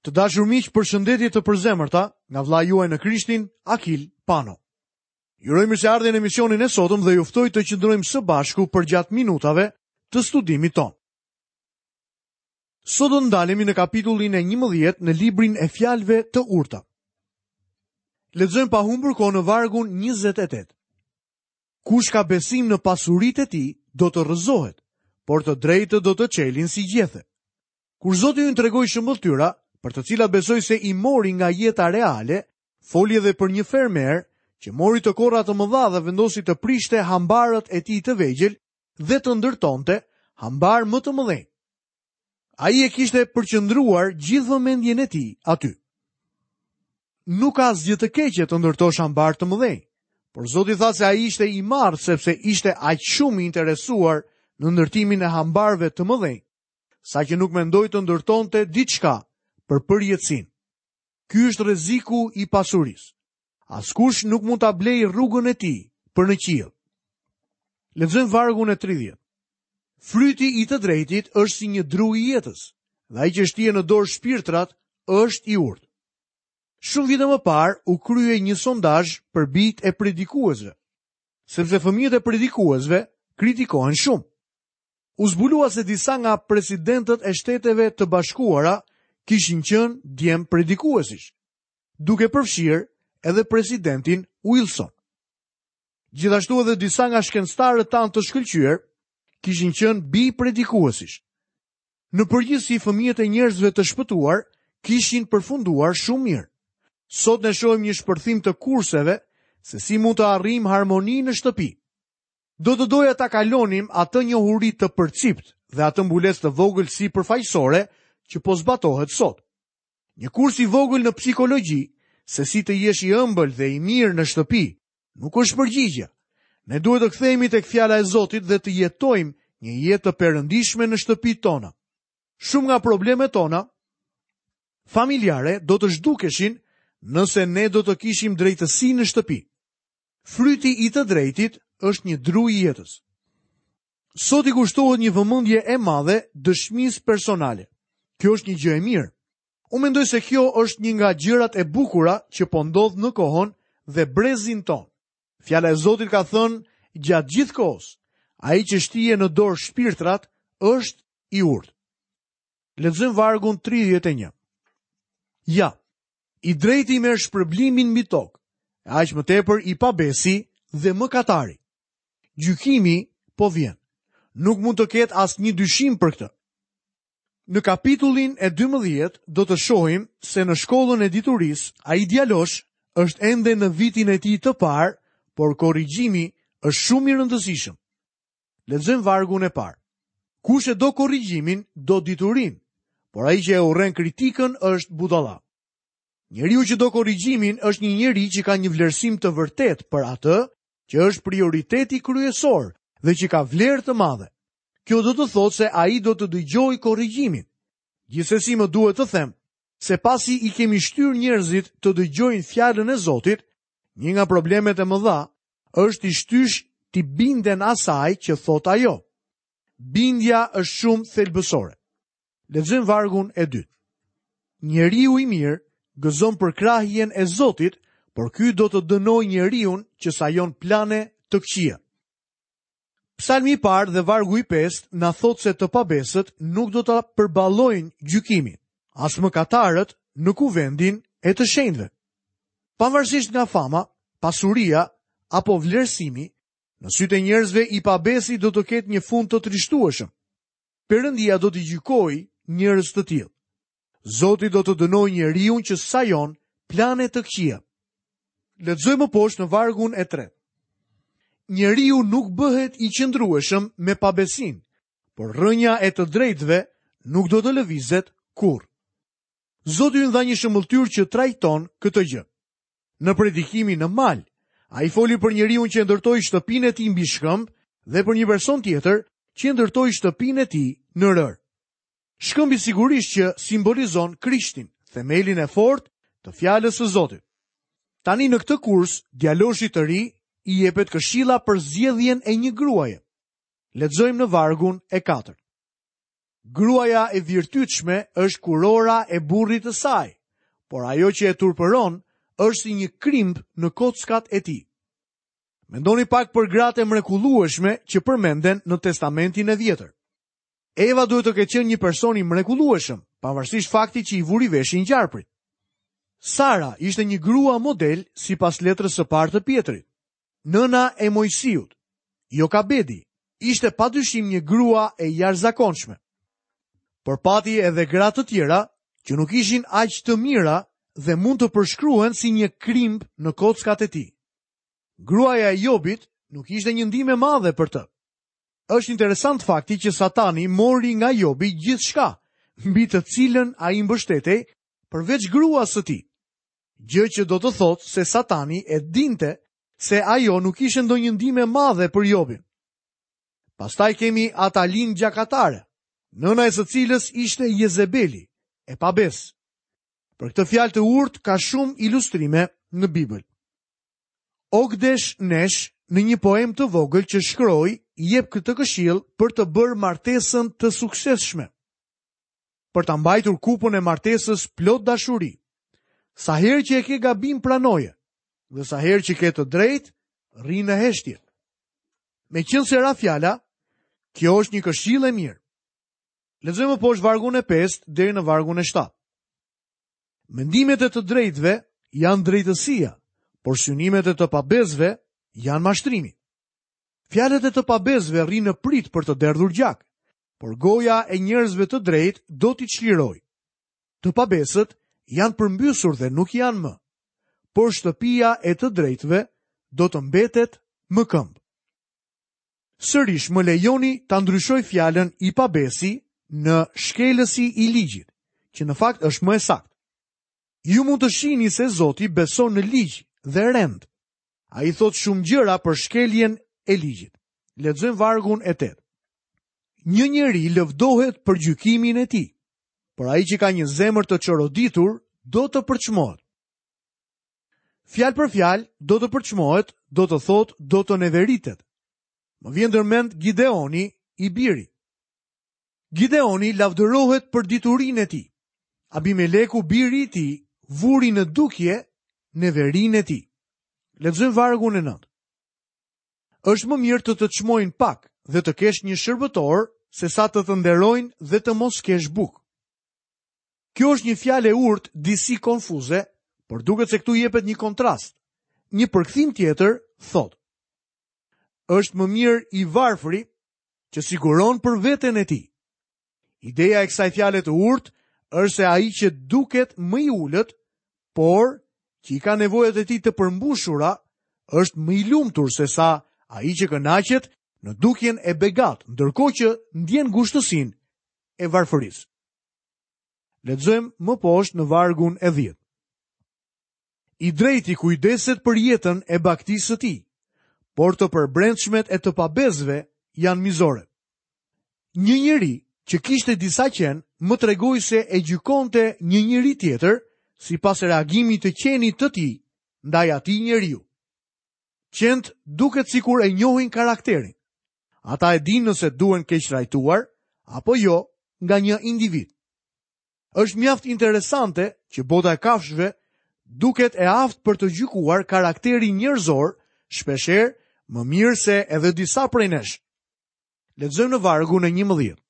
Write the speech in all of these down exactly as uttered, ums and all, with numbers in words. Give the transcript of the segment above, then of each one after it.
Të dashur miq, përshëndetje të përzemërta nga vëllai juaj në Krishtin, Akil Pano. Ju uroj mirëseardhje në emisionin e sotëm dhe ju ftoj të qëndrojmë së bashku përgjatë minutave të studimit tonë. Sot do të ndalemi në kapitullin e njëmbëdhjetë në librin e fjalëve të urta. Lexojmë pa humbur kohë në vargun njëzet e tetë. Kush ka besim në pasuritë e tij, do të rrëzohet, por të drejtët do të çelin si gjethe. Kur Zoti ynë tregoi shëmbëlltyra, për të cilat besoj se i mori nga jeta reale, foli edhe për një fermer që mori të korra të mëdha dhe vendosi të prishte hambarët e tij të vegjël dhe të ndërtonte hambar më të mëdhenj. Ai e kishte përqendruar gjithë vëmendjen e tij aty. Nuk ka asgjë të keqe të ndërtosh hambar të mëdhenj, por Zoti tha se ai ishte i marrë sepse ishte aq shumë i interesuar në ndërtimin e hambarëve të mëdhenj, saqë nuk mendoi të ndërtonte diçka për përjetësinë. Ky është rreziku i pasurisë. Askush nuk mund ta blejë rrugën e tij për në qiell. Lexojmë vargun e tridhjetë. Fryti i të drejtit është si një dru i jetës, dhe ai që shtie në dorë shpirtrat është i urtë. Shumë vite më parë u krye një sondazh për bijtë e predikuesve, sepse fëmijët e predikuesve kritikohen shumë. U zbulua se disa nga presidentët e Shteteve të Bashkuara kishin qenë djem predikuesish, duke përfshirë edhe presidentin Wilson. Gjithashtu edhe disa nga shkencëtarët tanë të shkëlqyer kishin qenë bij predikuesish. Në përgjithësi, fëmijët e njerëzve të shpëtuar kishin përfunduar shumë mirë. Sot ne shohim një shpërthim të kurseve se si mund të arrijmë harmoni në shtëpi. Do të doja ta kalonim atë njohuri të përcipt dhe atë mbulesë të vogël si përfaqësore që po zbatohet sot. Një kurs i vogël në psikologji, se si të jesh i ëmbël dhe i mirë në shtëpi, nuk është përgjigja. Ne duhet të kthehemi tek fjala e Zotit dhe të jetojmë një jetë të perëndishme në shtëpitë tona. Shumë nga problemet tona familjare do të zhdukeshin nëse ne do të kishim drejtësi në shtëpi. Fryti i të drejtit është një dru i jetës. Sot i kushtohet një vëmendje e madhe dëshmisë personale. Kjo është një gjë e mirë. Unë mendoj se kjo është një nga gjërat e bukura që po ndodh në kohën dhe brezin ton. Fjala e Zotit ka thënë gjatë gjithë kohës, ai që shtie në dorë shpirtrat është i urtë. Lexojmë vargun tridhjetë e një. Ja, i drejti merr shpërblimin mbi tokë, e aq më tepër i pabesi dhe mëkatari. Gjykimi po vjen. Nuk mund të ketë asnjë dyshim për këtë. Në kapitullin e dymbëdhjetë do të shohim se në shkollën e diturisë ai djalosh është ende në vitin e tij të parë, por korrigjimi është shumë i rëndësishëm. Lexojmë vargun e parë. Kush e do korrigjimin, do diturinë, por ai që e urren kritikën është budalla. Njeriu që do korrigjimin është një njeri që ka një vlerësim të vërtetë për atë që është prioriteti kryesor dhe që ka vlerë të madhe. Kjo do të thotë se ai do të dëgjojë korrigjimin. Gjithsesi më duhet të them se pasi i kemi shtyrë njerëzit të dëgjojnë fjalën e Zotit, një nga problemet e mëdha është i shtysh t'i binden asaj që thot ajo. Bindja është shumë thelbësore. Lexojmë vargun e dytë. Njeriu i mirë gëzon përkrahjen e Zotit, por ky do të dënojë njeriun që sajon plane të këqija. Psalmi i parë dhe vargu i pestë na thotë se të pabesët nuk do ta përballojnë gjykimin, as mëkatarët në kuvendin e të shenjtëve. Pavarësisht nga fama, pasuria apo vlerësimi, në sytë e njerëzve i pabesi do të ketë një fund të trishtueshëm. Perëndia do t'i gjykojë njerëz të tillë. Zoti do të dënojë njeriun që sajon plane të këqija. Lexojmë poshtë në vargun e tretë. Njeriu nuk bëhet i qëndrueshëm me pabesin, por rrënja e të drejtëve nuk do të lëvizet kurrë. Zoti ynë dha një shëmbëlltyrë që trajton këtë gjë. Në predikimin në mal, ai foli për njeriun që ndërtoi shtëpinë e tij mbi shkëmb dhe për një person tjetër që ndërtoi shtëpinë e tij në rërë. Shkëmbi sigurisht që simbolizon Krishtin, themelin e fortë të fjalës së Zotit. Tani në këtë kurs, djaloshit të ri i jepet këshilla për zgjedhjen e një gruaje. Lexojmë në vargun e katërt. Gruaja e virtytshme është kurora e burrit të saj, por ajo që e turpëron është si një krimb në kockat e tij. Mendoni pak për gratë e mrekullueshme që përmenden në Testamentin e Vjetër. Eva duhet të ketë qenë një person i mrekullueshëm, pavarësisht faktit që i vuri veshin gjarprit. Sara ishte një grua model sipas letrës së parë të Pjetrit. Nëna e Mojsiut, Jokabedi, ishte padyshim një grua e jashtëzakonshme. Por pati edhe gra të tjera që nuk ishin aq të mira dhe mund të përshkruhen si një krimb në kockat e tij. Gruaja e Jobit nuk ishte një ndihmë e madhe për të. Është interesant fakti që Satani mori nga Jobi gjithçka, mbi të cilën ai mbështetej përveç gruas së tij. Gjë që do të thotë se Satani e dinte se ajo nuk ishte ndonjë ndihmë e madhe për Jobin. Pastaj kemi Atalin gjakatare, nëna e së cilës ishte Jezebeli, e pabesë. Për këtë fjalë të urtë ka shumë ilustrime në Bibël. Ogdesh Nesh në një poem të vogël që shkroi, jep këtë këshill për të bërë martesën të suksesshme. Për ta mbajtur kupën e martesës plot dashuri. Sa herë që e ke gabim pranoje, dhe sa herë që ke të drejtë, rri në heshtje. Meqenëse ra fjala, kjo është një këshillë e mirë. Lexojmë poshtë vargun e pestë deri në vargun e shtatë. Mendimet e të drejtëve janë drejtësia, por synimet e të pabesëve janë mashtrimi. Fjalët e të pabesëve rrinë në pritë për të derdhur gjak, por goja e njerëzve të drejtë do t'i çlirojë. Të pabesët janë përmbysur dhe nuk janë më, por shtëpia e të drejtëve do të mbetet më këmbë. Sërish më lejoni ta ndryshoj fjalën i pabesi në shkelësi i ligjit, që në fakt është më e saktë. Ju mund të shihni se Zoti beson në ligj dhe rend. Ai thotë shumë gjëra për shkeljen e ligjit. Lexojmë vargun e tetë. Një njeri lëvdohet për gjykimin e tij, por ai që ka një zemër të çoroditur do të përçmohet. Fjalë për fjalë, do të përçmohet, do të thotë do të neveritet. Më vjen ndërmend Gideoni i biri. Gideoni lavdërohet për diturinë e tij. Abimeleku biri i tij vuri në dukje neverinë e tij. Lexojmë vargun e nëntë. Është më mirë të të çmojnë pak dhe të kesh një shërbëtor se sa të të nderojnë dhe të mos kesh bukë. Kjo është një fjalë e urtë disi konfuze, por duket se këtu jepet një kontrast. Një përkthim tjetër thotë: Është më mirë i varfri që siguron për veten e tij. Ideja e kësaj fjale të urtë është se ai që duket më i ulët, por që i ka nevojat e tij të përmbushura, është më i lumtur se sa ai që kënaqet në dukjen e begat, ndërkohë që ndjen ngushtësinë e varfërisë. Lexojmë më poshtë në vargun e dhjetë. I drejti kujdeset për jetën e bagëtisë së tij, por të përbrendshmet e të pabesëve janë mizore. Një njeri që kishte disa qen më tregoi se e gjykonte një njeri tjetër sipas reagimit të qenit të tij ndaj atij njeriu. Qentë duket sikur e njohin karakterin. Ata e dinë nëse duhen keqtrajtuar apo jo nga një individ. Është mjaft interesante që bota e kafshëve duket e aftë për të gjykuar karakterin njerëzor, shpeshherë më mirë se edhe disa prej nesh. Lexojmë në vargun e njëmbëdhjetë.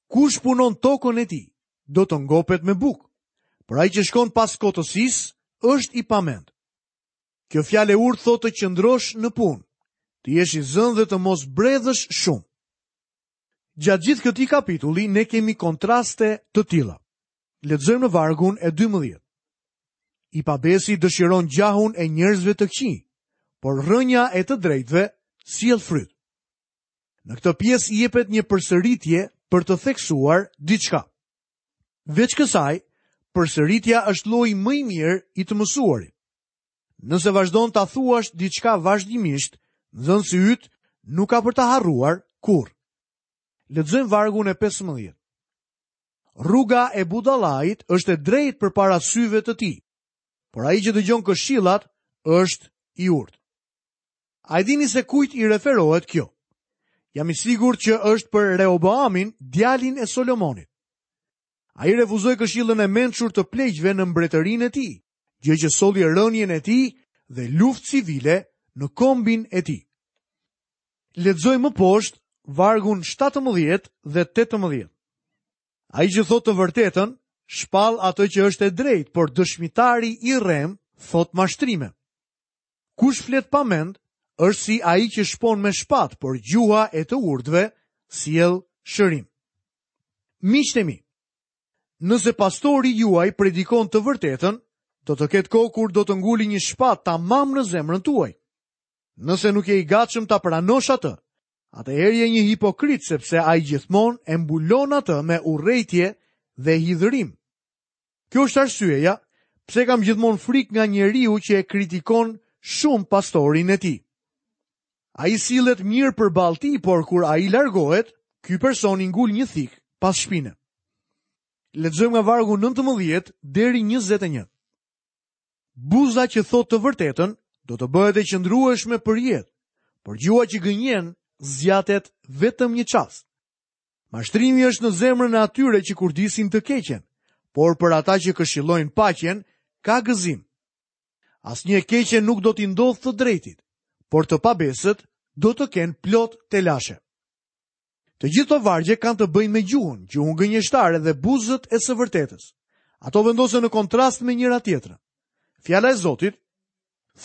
Kush punon tokën e tij, do të ngopet me bukë, por ai që shkon pas kotësisë është i pamend. Kjo fjalë e urtë thotë të qëndrosh në punë, të jesh i zënë dhe të mos bredhësh shumë. Gjatë gjithë këtij kapitulli ne kemi kontraste të tilla. Lexojmë në vargun e dymbëdhjetë. I pabesi dëshiron gjahun e njerëzve të këqij, por rrënja e të drejtëve sjell fryt. Në këtë pjesë jepet një përsëritje për të theksuar diçka. Veç kësaj, përsëritja është lloji më i mirë i të mësuarit. Nëse vazhdon ta thuash diçka vazhdimisht, nxënësi yt nuk ka për ta harruar kurrë. Lexojmë vargun e pesëmbëdhjetë. Rruga e budallait është e drejtë përpara syve të tij, por ai që dëgjon këshillat është i urtë. A e dini se kujt i referohet kjo? Jam i sigurt që është për Rehoboamin, djalin e Solomonit. Ai refuzoi këshillën e mençur të pleqve në mbretërinë e tij, gjë që solli rënien e tij dhe luftë civile në kombin e tij. Lexoj më poshtë vargun shtatëmbëdhjetë dhe tetëmbëdhjetë. Ai që thotë të vërtetën, shpall atë që është e drejtë, por dëshmitari i rrem thot mashtrime. Kush flet pa mend, është si ai që shpon me shpat, por gjuha e të urtëve sjell shërim. Miqtë e mi, nëse pastori juaj predikon të vërtetën, do të ketë kohë kur do të nguli një shpat tamam në zemrën tuaj. Nëse nuk je i gatshëm ta pranosh atë, atëherë je një hipokrit, sepse ai gjithmonë e mbulon atë me urrejtje dhe hidhërim. Kjo është arsyeja pse kam gjithmonë frikë nga njeriu që e kritikon shumë pastorin e tij. Ai sillet mirë përballë tij, por kur ai largohet, ky person i ngul një thik pas shpine. Lexojmë nga vargu nëntëmbëdhjetë deri njëzet e një. Buza që thot të vërtetën do të bëhet e qëndrueshme për jetë, por gjuha që gënjen zgjatet vetëm një çast. Mashtrimi është në zemrën e atyre që kurdisin të keqen, por për ata që këshillojnë paqen, ka gëzim. Asnjë e keqe nuk do t'i ndodhë të drejtit, por të pabesët do të kenë plot telashe. Të gjithë këto vargje kanë të bëjnë me gjuhën, gjuhën gënjeshtare dhe buzët e së vërtetës. Ato vendosen në kontrast me njëra tjetrën. Fjala e Zotit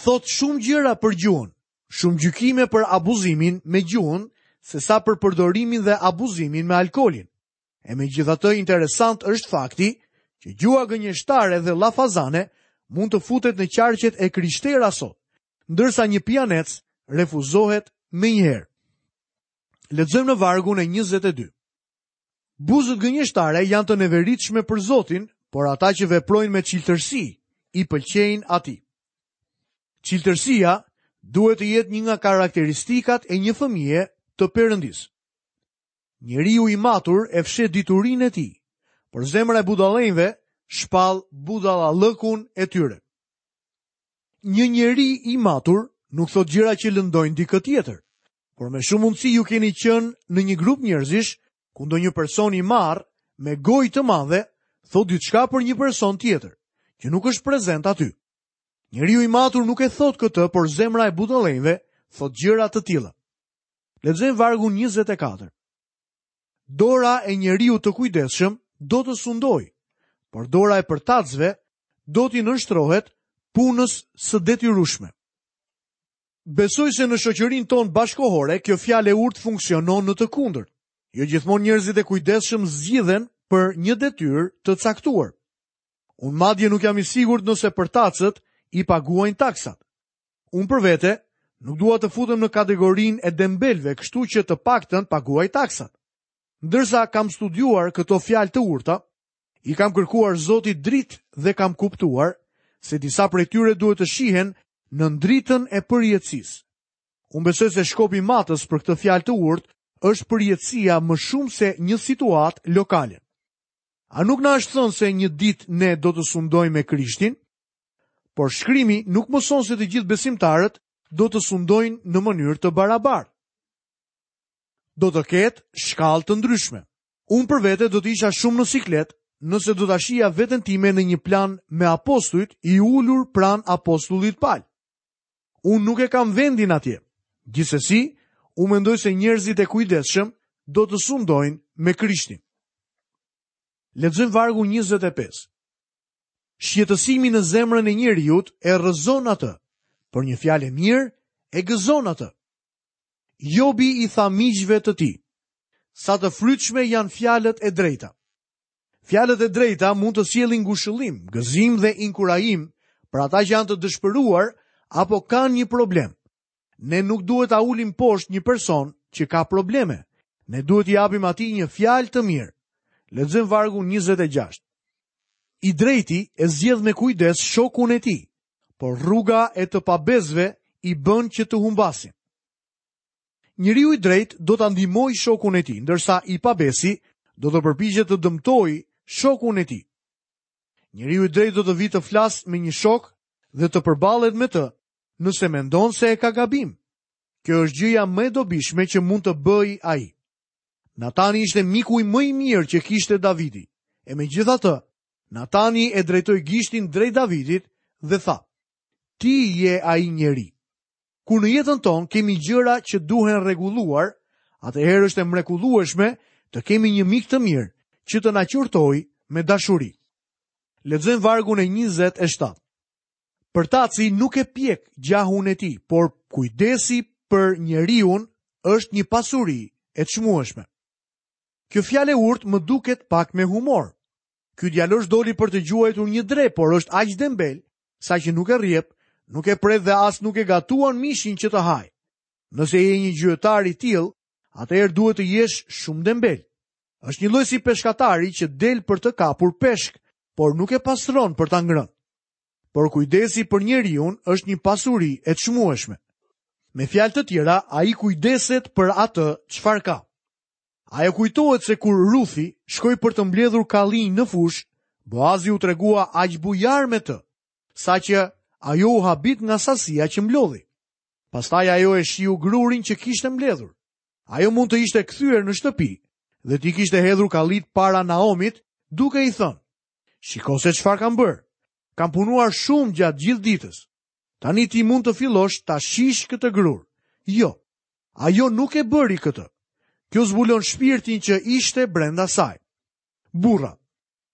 thot shumë gjëra për gjuhën, shumë gjykime për abuzimin me gjuhën, se sa për përdorimin dhe abuzimin me alkoolin. E megjithatë interesant është fakti që gjuha gënjeshtare dhe llafazane mund të futet në qarqet e krishtera sot, ndërsa një pijanec refuzohet menjëherë. Lexojmë në vargun e njëzet e dy. Buzët gënjeshtare janë të neveritshme për Zotin, por ata që veprojnë me çiltërsi i pëlqejnë atij. Çiltërsia duhet të jetë një nga karakteristikat e një fëmije të Perëndis. Njeriu i matur e fsheh diturinë e tij, por zemra e budallenjve shpall budallallëkun e tyre. Një njeri i matur nuk thot gjëra që lëndojnë dikë tjetër, por me shumë mundësi ju keni qenë në një grup njerëzish ku ndonjë person i marr me gojë të madhe thot diçka për një person tjetër, që nuk është prezent aty. Njeriu i matur nuk e thot këtë, por zemra e budallenjve thot gjëra të tilla. Lexojmë vargun njëzet e katër. Dora e njeriu të kujdesshëm do të sundojë, por dora e përtacëve do t'i nënshtrohet punës së detyrueshme. Besoj se në shoqërinë tonë bashkohore kjo fjalë e urtë funksionon në të kundërt. Jo gjithmonë njerëzit e kujdesshëm zgjidhen për një detyrë të caktuar. Unë madje nuk jam i sigurt nëse përtacët i paguajnë taksat. Unë për vete nuk dua të futem në kategorinë e dembelve, kështu që të paktën paguaj taksat. Ndërsa kam studiuar këto fjalë të urta, i kam kërkuar Zotit dritë dhe kam kuptuar se disa prej tyre duhet të shihen në dritën e përjetësisë. Unë besoj se shkopi matës për këtë fjalë të urtë është përjetësia më shumë se një situatë lokale. A nuk na është thënë se një ditë ne do të sundojmë me Krishtin? Por shkrimi nuk mëson se të gjithë besimtarët do të sundojnë në mënyrë të barabartë. Do të ketë shkallë të ndryshme. Unë për vete do të isha shumë në siklet nëse do ta shihja veten time në një plan me apostujt i ulur pranë apostullit Paul. Unë nuk e kam vendin atje. Gjithsesi, unë mendoj se njerëzit e kujdesshëm do të sundojnë me Krishtin. Lexojmë vargun njëzet e pesë. Shqetësimi në zemrën e njeriut e rrëzon atë, por një fjalë e mirë e gëzon atë. Jobi i tha miqve të tij, sa të frytshme janë fjalët e drejta. Fjalët e drejta mund të sjellin ngushëllim, gëzim dhe inkurajim për ata që janë të dëshpëruar apo kanë një problem. Ne nuk duhet ta ulim poshtë një person që ka probleme. Ne duhet t'i japim atij një fjalë të mirë. Lexojmë vargun njëzet e gjashtë. I drejti e zgjedh me kujdes shokun e tij, por rruga e të pabesëve i bën që të humbasin. Njeriu i drejtë do ta ndihmojë shokun e tij, ndërsa i pabesi do të përpiqet të dëmtojë shokun e tij. Njeriu i drejtë do të vijë të flasë me një shok dhe të përballet me të, nëse mendon se e ka gabim. Kjo është gjëja më e dobishme që mund të bëjë ai. Natani ishte miku më i mirë që kishte Davidi. E megjithatë, Natani e drejtoi gishtin drejt Davidit dhe tha: "Ti je ai njeri." Kur në jetën tonë kemi gjëra që duhen rregulluar, atëherë është e mrekullueshme të kemi një mik të mirë që të na qortojë me dashuri. Lexojmë vargun e njëzet e shtatë. Përtaci nuk e pjek gjahun e tij, por kujdesi për njeriun është një pasuri e çmueshme. Kjo fjalë e urtë më duket pak me humor. Ky djalosh doli për të gjuajtur një dre, por është aq dembel saqë nuk e rjep, nuk e pret dhe as nuk e gatuan mishin që të haj. Nëse je një gjuetar i tillë, atëherë duhet të jesh shumë dembel. Është një lloj si peshkatari që del për të kapur peshk, por nuk e pastron për ta ngrënë. Por kujdesi për njeriun është një pasuri e çmueshme. Me fjalë të tjera, ai kujdeset për atë çfarë ka. Ajo kujtohet se kur Ruthi shkoi për të mbledhur kallinj në fushë, Boazi u tregua aq bujar me të, saqë ajo u habit nga sasia që mblodhi. Pastaj ajo e shiu grurin që kishte mbledhur. Ajo mund të ishte kthyer në shtëpi dhe t'i kishte hedhur kallit para Naomit, duke i thënë: "Shiko se çfarë kam bërë. Kam punuar shumë gjatë gjithë ditës. Tani ti mund të fillosh ta shish këtë grur." Jo, ajo nuk e bëri këtë. Kjo zbulon shpirtin që ishte brenda saj. Burra,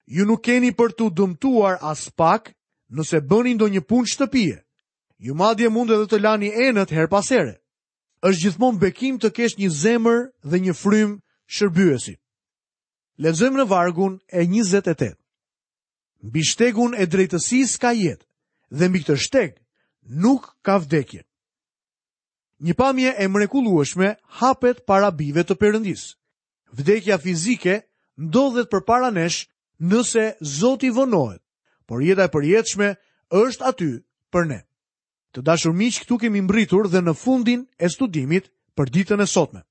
ju nuk keni për t'u dëmtuar as pak nëse bëni ndonjë punë shtëpie. Ju madje mund edhe të lani enët her pas here. Është gjithmonë bekim të kesh një zemër dhe një frymë shërbyesi. Lexojmë në vargun e njëzet e tetë. Mbi shtegun e drejtësisë ka jetë, dhe mbi këtë shteg nuk ka vdekje. Një pamje e mrekullueshme hapet para bijve të Perëndisë. Vdekja fizike ndodhet përpara nesh nëse Zoti vonohet, por jeta e përjetshme është aty për ne. Të dashur miq, këtu kemi mbritur dhe në fundin e studimit për ditën e sotme.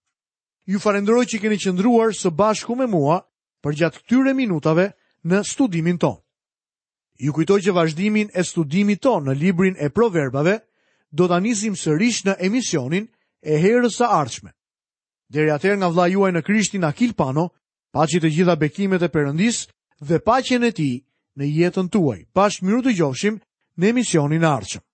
Ju falenderoj që keni qëndruar së bashku me mua përgjatë këtyre minutave në studimin tonë. Ju kujtoj që vazhdimin e studimit tonë në librin e Proverbave do ta nisim sërish në emisionin e herës së ardhshme. Deri atëherë nga vëllai juaj në Krishtin Akil Pano, paçi të gjitha bekimet e Perëndisë dhe paqen e tij në jetën tuaj. Bashkë mirudëgjofshim në emisionin e ardhshëm.